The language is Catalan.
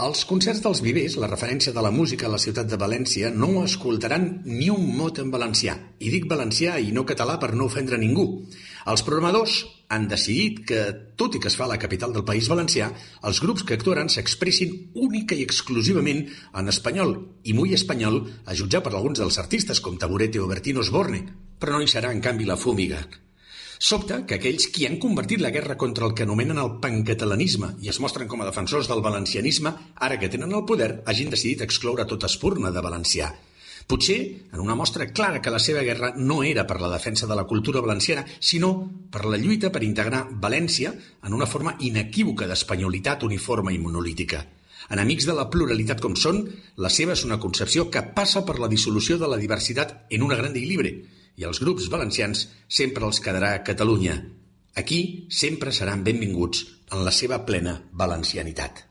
Als concerts dels Vivers, la referència de la música a la ciutat de València no escoltaran ni un mot en valencià. I dic valencià i no català per no ofendre ningú. Els programadors han decidit que, tot i que es fa a la capital del País Valencià, els grups que actuaran s'expressin única i exclusivament en espanyol i muy espanyol, a jutjar per alguns dels artistes com Taburete o Bertín Osborne, però no hi serà, en canvi, la Fúmiga. Sobta que aquells qui han convertit la guerra contra el que anomenen el pancatalanisme i es mostren com a defensors del valencianisme, ara que tenen el poder, hagin decidit excloure tota espurna de valencià. Potser en una mostra clara que la seva guerra no era per la defensa de la cultura valenciana, sinó per la lluita per integrar València en una forma inequívoca d'espanyolitat uniforme i monolítica. Enemics de la pluralitat com són, la seva és una concepció que passa per la dissolució de la diversitat en una grande i libre, i els grups valencians sempre els quedarà a Catalunya. Aquí sempre seran benvinguts en la seva plena valencianitat.